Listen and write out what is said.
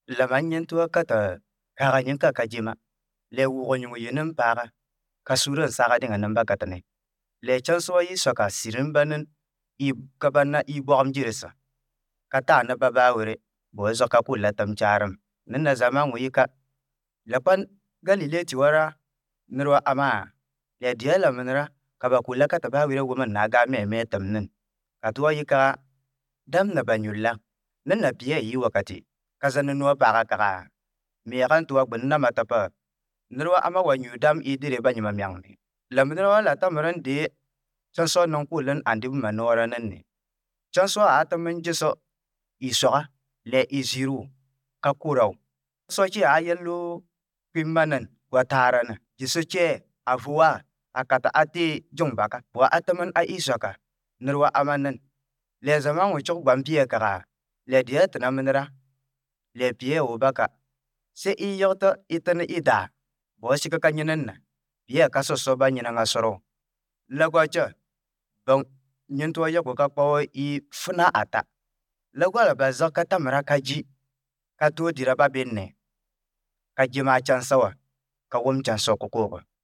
La ma yẽn tɩ wakata kaaga yẽka ka gema. La wʋʋg yĩng yɩ nin-paaga ka sũurã n saagd dẽnga nin bakatne. La cãnsʋ wã yɩ soaka sɩd n ba nin ka ba na ii bɔgem gɩrgsã ka taa ne ba baa were, bɩ wa zɔg ka kʋʋl la tɩ m caarem. Ned na zamaang wã yɩ ka. La pa Galile tɩ wara ned wa ãmã, la ya dɩ la menera ka ba kʋʋl la ka tɩ baa were wʋm n na n gaa me me tɩ m nin. Ka tɩ wa yɩ ka dãmb na ba yũlla. Ned na pɩyã yɩ wakate ka zã ne noowã paaga kaga, m yɛɛgã tɩ wa gbẽnd nãmbã t'a pa ned wa ãmã wa yũ dãmb y dɩre ba yẽma meng me. La menera wã la tãmr n dee cãnsʋ nin-kʋʋl n ãnd bũmba noorã nenne. Cãnsʋ yaa tɩ m n ges y soaga la y zɩrʋ ka kʋ-rao. Cãnsʋ kɩ yaa yello kpimba nen, goa-taara nen, ges-cɛɛ, a vo-wã, a ka tɩ a tee jõng-baka. Wa a tɩ m a y soaka ned wa ãmã nen. La ya zamãan wã cog goam pɩyã kaga, la ya dɩ tɩ na menera, la ya pɩyã ya wo baka. Sɛ y yegtɔ y tɩ ne y daa, bɩ wa sɩk ka yẽnenã, pɩyã ka sɔsɔ ba yẽnengã sɔrgo. La goacã ba yẽn tɩ wa yɛk ka pao y fna ata. La goala ba zẽg ka tãmra ka gɩ, ka toog dɩra ba bennẽ, ka gema a cãnsã wã, ka wom cãnsʋ kokoogã.